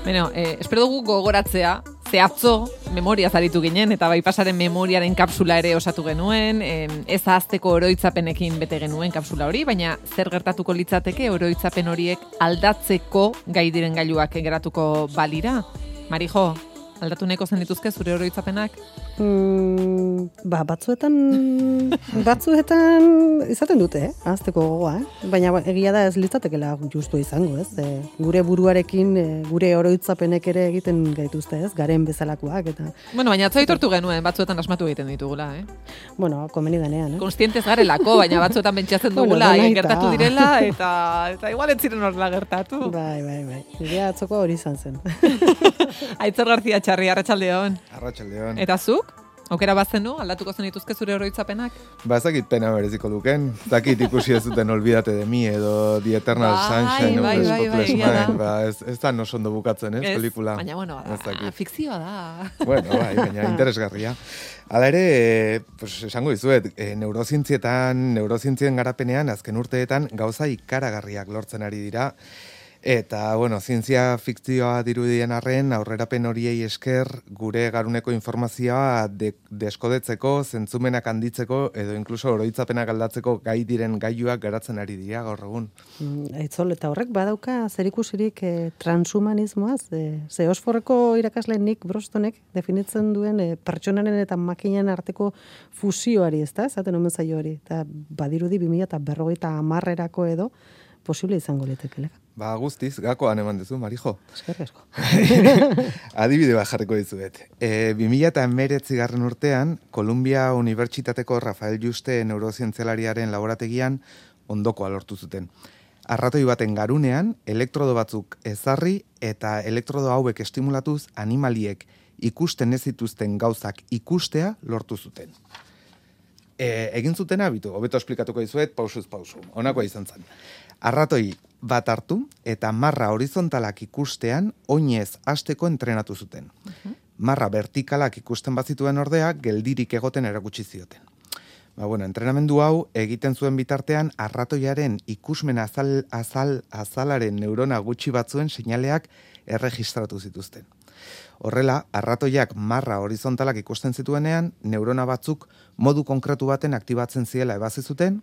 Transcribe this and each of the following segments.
Bueno, espero dugu gogoratzea, ze atzo memoria zaritu ginen, eta Bypassaren memoriaren kapsula ere osatu genuen, ez ahazteko oroitzapenekin bete genuen kapsula hori, baina zer gertatuko litzateke oroitzapen horiek aldatzeko gai diren gailuak geratuko balira? Marijo, aldatu nahiko zen dituzke zure oroitzapenak? Batzuetan izaten dute, ahazteko gogoa, baina egia da ez litzatekela justu izango, ez? Gure buruarekin, gure oroitzapenek ere egiten gaituzte, ez? Garen bezalakoak eta... Bueno, baina atzo aitortu genuen, batzuetan asmatu egiten ditugula, Bueno, komeni denean, Konstientez garelako, baina batzuetan pentsatzen dugula, gertatu direla, eta igual ez ziren horrela gertatu. Bai. Nire atzoko hori izan zen. Aitzor Garzia Txarri, arratsaldeon. Arratsaldeon. Eta zuk? Aukera bazenu, aldatuko zen dituzke zure oroitzapenak? Ba, ez dakit pena bereziko duken. Ez dakit ikusi ez duten Olvídate de mí edo The Eternal Sunshine of the Spotless Mind. Ba, ez da no sondo bukatzen, pelikula. Baina, bueno, fikzioa da. Bueno, baina interesgarria. Hala ere, esango dizuet, neurozientzien garapenean, azken urteetan, gauza ikaragarriak lortzen ari dira. Eta, zientzia fikzioa dirudien arren, aurrerapen horiei esker, gure garuneko informazioa deskodetzeko, zentzumenak handitzeko, edo inkluso oroitzapenak aldatzeko gai diren gailuak garatzen ari dira gaur egun. Aitzol, eta horrek badauka zerikusirik transhumanismoaz, ze Oxfordeko irakasle Nick Brostonek definitzen duen pertsonaren eta makinen arteko fusioari, ez da? Esaten omen zaio hori. Eta badirudi 2050erako edo posible izango litekela. Ba, guztiz, gakoan eman duzu, Marijo. Eskerrik asko. Adibide bat jarriko dizuet. 2019 urtean, Columbia Unibertsitateko Rafael Juste neurozientzialariaren laborategian ondokoa lortu zuten. Arratoi baten garunean, elektrodo batzuk ezarri eta elektrodo hauek estimulatuz animaliek ikusten ez zituzten gauzak ikustea lortu zuten. Egin zuten habitu, hobeto esplikatuko dizuet, pausuz pausu. Honakoa izan zen. Arratoi bat hartu eta marra horizontalak ikustean oinez hasteko entrenatu zuten. Marra vertikalak ikusten bazituen ordea, geldirik egoten erakutsi zioten. Entrenamendu hau egiten zuen bitartean arratoiaren ikusmen azalaren neurona gutxi batzuen seinaleak erregistratu zituzten. Horrela, arratoiak marra horizontalak ikusten zituenean, neurona batzuk modu konkretu baten aktibatzen zirela ebazi zuten,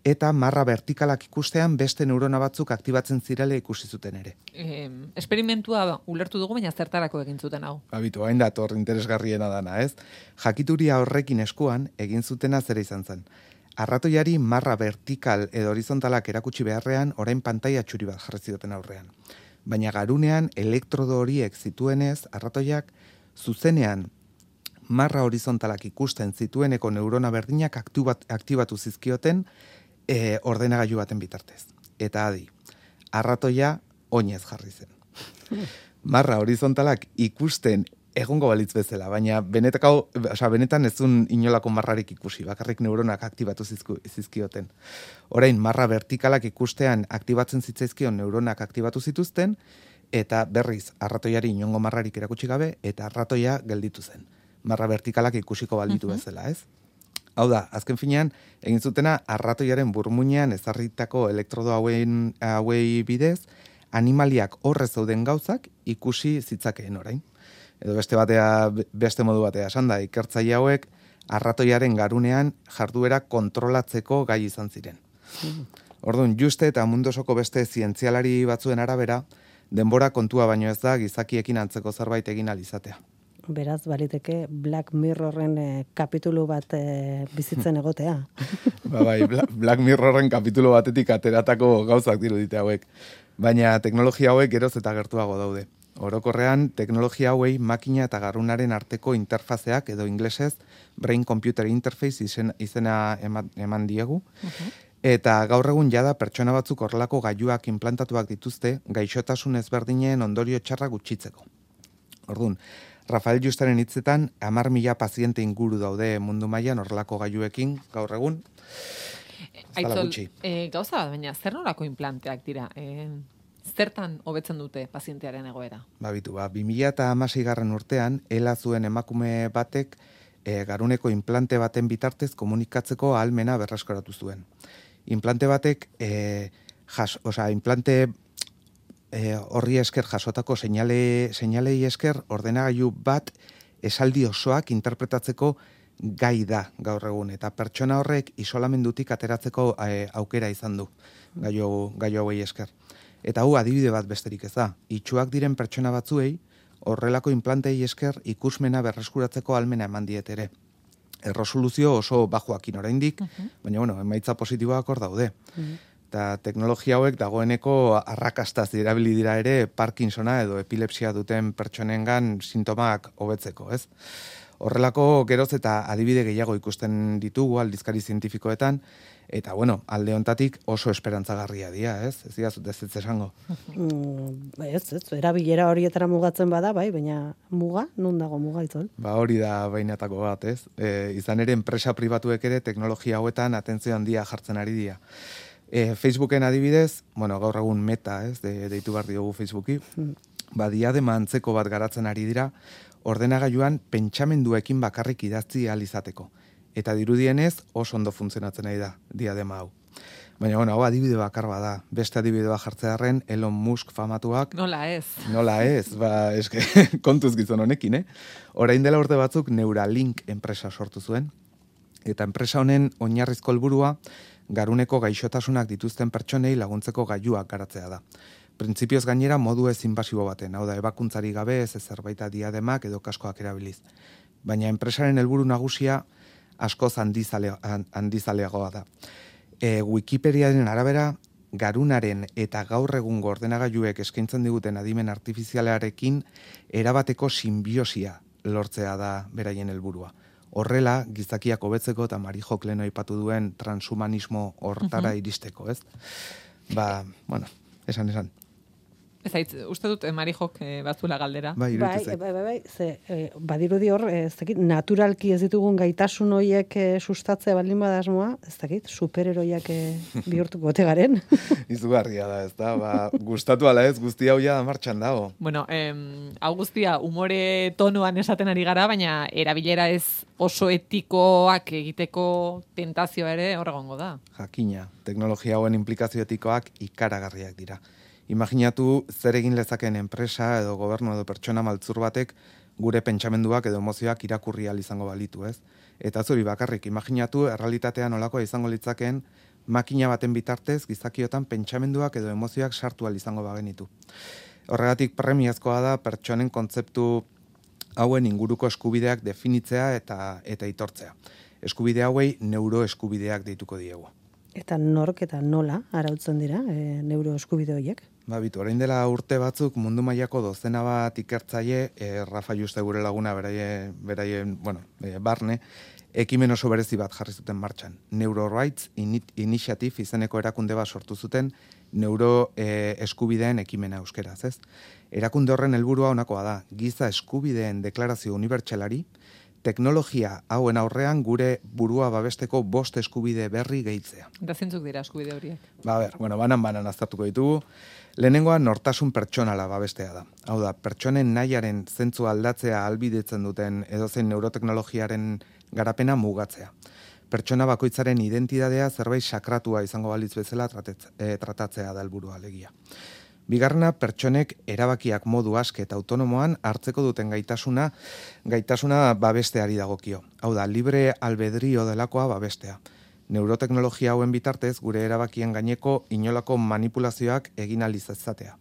eta marra vertikalak ikustean beste neurona batzuk aktibatzen zirela ikusi zuten ere. Esperimentua ulertu dugu, baina zertarako egin zuten hau? Habitu, hain dator interesgarriena dana, ez? Jakituria horrekin eskuan egin zutena zera izan zen. Arratoiari marra vertikal edo horizontalak erakutsi beharrean, orain pantaila txuri bat jarri zioten aurrean. Baina garunean elektrodo horiek zituenez, arratoiak zuzenean marra horizontalak ikusten zitueneko neurona berdinak aktibatu zizkioten ordenagailu baten bitartez. Eta adi, arratoia oinez jarri zen. Marra horizontalak ikusten egongo balitz bezala, baina benetan ezun inolako marrarik ikusi, bakarrik neuronak aktibatu zizkioten. Orain, marra vertikalak ikustean aktibatzen zitzaizkion neuronak aktibatu zituzten, eta berriz, arratoiari inongo marrarik erakutsi gabe, eta arratoia gelditu zen. Marra vertikalak ikusiko balitu bezala, ez? Hau da, azken finean, egin zutena arratoiaren burmuinean ezarritako elektrodo hauei bidez, animaliak horre zeuden gauzak ikusi zitzakeen orain. Edo beste modu batea esan da, ikertzaile hauek arratoiaren garunean jarduera kontrolatzeko gai izan ziren. Orduan, Juste eta mundu osoko beste zientzialari batzuen arabera, denbora kontua baino ez da gizakiekin antzeko zerbait egin ahal izatea. Beraz, baliteke Black Mirrorren kapitulu bat bizitzen egotea. Bai, Black Mirrorren kapitulu batetik ateratako gauzak dirudite hauek. Baina teknologia hauek geroz eta gertuago daude. Orokorrean, teknologia hauei makina eta garunaren arteko interfazeak edo inglesez Brain Computer Interface izena eman diegu. Eta gaur egun jada pertsona batzuk horrelako gailuak inplantatuak dituzte gaixotasun ezberdinen ondorio txarra gutxitzeko. Orduan, Rafael Justeren hitzetan 10.000 paziente inguru daude mundu mailan horrelako gailuekin gaur egun. Aitzol, gauza bat, baina zer nolako implanteak dira? Zertan hobetzen dute pazientearen egoera? Babitu, 2016 urtean, ela zuen emakume batek garuneko implante baten bitartez komunikatzeko ahalmena berreskoratu zuen. Implante batek implante horri esker jasotako seinalei esker ordenagailu bat esaldi osoak interpretatzeko gai da gaur egun, eta pertsona horrek isolamendutik ateratzeko aukera izan du gailu hauei esker. Eta hau adibide bat besterik ez da. Itxuak diren pertsona batzuei horrelako implantei esker ikusmena berreskuratzeko ahalmena eman diet ere. Erresoluzio oso bajoakin oraindik, baina emaitza positiboak hor daude. Eta teknologia hauek dagoeneko arrakastaz erabili dira ere Parkinsona edo epilepsia duten pertsonengan sintomak hobetzeko, ez? Horrelako geroz eta adibide gehiago ikusten ditugu aldizkari zientifikoetan, eta alde hontatik oso esperantzagarria dira, ez? Ez dira ez esango. Ez, erabilera horietara mugatzen bada, bai, baina muga, nun dago muga itzol? Hori da bainatako bat, ez? Izan ere enpresa pribatuek ere teknologia hauetan atentzio handia jartzen ari dira. Facebooken adibidez, gaur egun Meta, ez, deitu behar diogu Facebooki, diadema antzeko bat garatzen ari dira, ordenagailuan pentsamenduekin bakarrik idatzi ahal izateko. Eta dirudienez oso ondo funtzionatzen ari da diadema hau. Baina, hau adibide bakar bada. Beste adibide bat jartzearren, Elon Musk famatuak... Nola ez, eske, kontuz gizon honekin, Orain dela urte batzuk Neuralink enpresa sortu zuen, eta enpresa honen oinarrizko helburua garuneko gaixotasunak dituzten pertsonei laguntzeko gailuak garatzea da. Printzipioz gainera modu ez inbasibo baten, hau da, ebakuntzari gabe ez zerbaita diademak edo kaskoak erabiliz. Baina enpresaren helburu nagusia askoz handizaleagoa da. Wikipediaren arabera, garunaren eta gaur egungo ordenagailuek eskaintzen diguten adimen artifizialarekin erabateko sinbiosia lortzea da beraien helburua. Horrela, gizakiak hobetzeko eta Marijok lehen aipatu duen transhumanismo hortara iristeko, ez? Esan. Uste dut Marijok batzula galdera. Bai, badirudi hor, naturalki ez ditugun gaitasun horiek sustatzea baldin badasmoa, ez dakit, superheroiak bihurtuko gote garen. Izugarria da, ez da, gustatu ala ez, guztia hau ja martxan dago. Hau guztia humore tonuan esaten ari gara, baina erabilera ez oso etikoak egiteko tentazioa ere horregongo da. Jakina, teknologia hauen implikazio etikoak ikaragarriak dira. Imaginatu zer egin lezakeen enpresa edo gobernu edo pertsona maltzur batek gure pentsamenduak edo emozioak irakurri ahal izango balitu, ez? Eta zuri bakarrik, imaginatu errealitatean olakoa izango litzakeen makina baten bitartez gizakiotan pentsamenduak edo emozioak sartu ahal izango bagenitu. Horregatik premiazkoa da pertsonen kontzeptu hauen inguruko eskubideak definitzea eta aitortzea. Eskubide hauei neuroeskubideak deituko diegu. Eta nork eta nola arautzen dira neuroeskubide horiek? Orain dela urte batzuk mundu mailako dozena bat ikertzaile, Rafa Juste gure laguna beraien barne, ekimen oso berezi bat jarri zuten martxan. Neurorights Initiative izeneko erakunde bat sortu zuten neuroeskubideen ekimena euskeraz, ez? Erakunde horren helburua honakoa da, giza eskubideen deklarazio unibertsalari, teknologia hauen aurrean gure burua babesteko 5 eskubide berri gehitzea. Eta zentzuk dira eskubide horiek? Banan aztertuko ditugu. Lehenengoa nortasun pertsonala babestea da. Hau da, pertsonen nahiaren zentzu aldatzea ahalbidetzen duten edozein neuroteknologiaren garapena mugatzea. Pertsona bakoitzaren identitatea zerbait sakratua izango balitz bezala tratatzea da helburua alegia. Bigarrena, pertsonek erabakiak modu aske eta autonomoan hartzeko duten gaitasuna babesteari dagokio. Hau da, libre albedrio delakoa babestea. Neuroteknologia hauen bitartez gure erabakien gaineko inolako manipulazioak egin ahal izatea.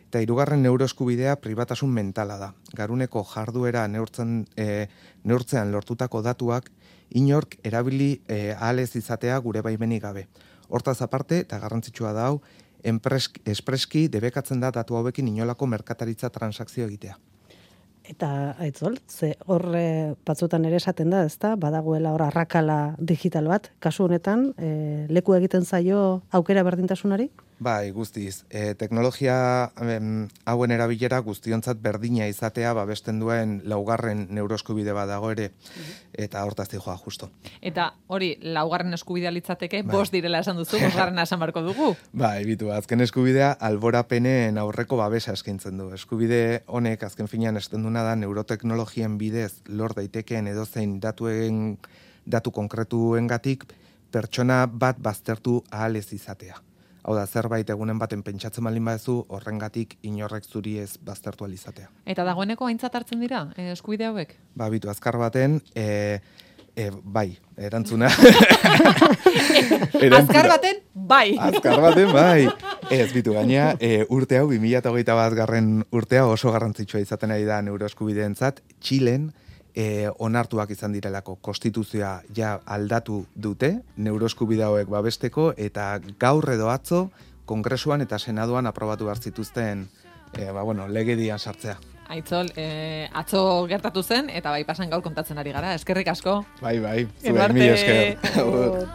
Eta hirugarren neuroeskubidea pribatasun mentala da. Garuneko jarduera neurtzean lortutako datuak inork erabili ahal ez izatea gure baimenik gabe. Hortaz aparte, eta garrantzitsua da hau, espreski debekatzen da datu hauekin inolako merkataritza transakzio egitea. Eta aitzol, ze horre batzutan ere esaten da, ezta? Badagoela hor arrakala digital bat, kasu honetan, leku egiten zaio aukera berdintasunari? Bai, guztiz. Teknologia hauen erabilera guztiontzat berdina izatea babesten duen laugarren neuroeskubide bat dago ere, eta hortaz dijoa justo. Eta hori, laugarren eskubidea litzateke, 5 direla esan duzu, 5. esan barko dugu. Bai, azken eskubidea alborapenen aurreko babesa eskaintzen du. Eskubide honek azken finean esten duna da neuroteknologien bidez lor daitekeen edozein datu konkretuengatik pertsona bat baztertu ahal ez izatea. Hau da, zerbait egunen baten pentsatzen baldin baduzu, horrengatik inorrek zuri ez baztertu alizatea. Eta dagoeneko aintzat hartzen dira, eskubide hauek? Ba, bitu, azkar baten, bai, erantzuna. Azkar baten, bai. Azkar baten, bai. Ez, bitu, gaina, urte hau, 2021 urtea oso garrantzitsua izaten ari da neuroeskubideentzat, Txilen, onartuak izan direlako konstituzioa ja aldatu dute, neuroeskubide hauek babesteko, eta gaur edo atzo, Kongresuan eta Senaduan aprobatu behar zituzten legedian sartzea. Aitzol, atzo gertatu zen, eta bai pasan gaur kontatzen ari gara. Eskerrik asko. Bai, Eduarte. Zuen, mi esker.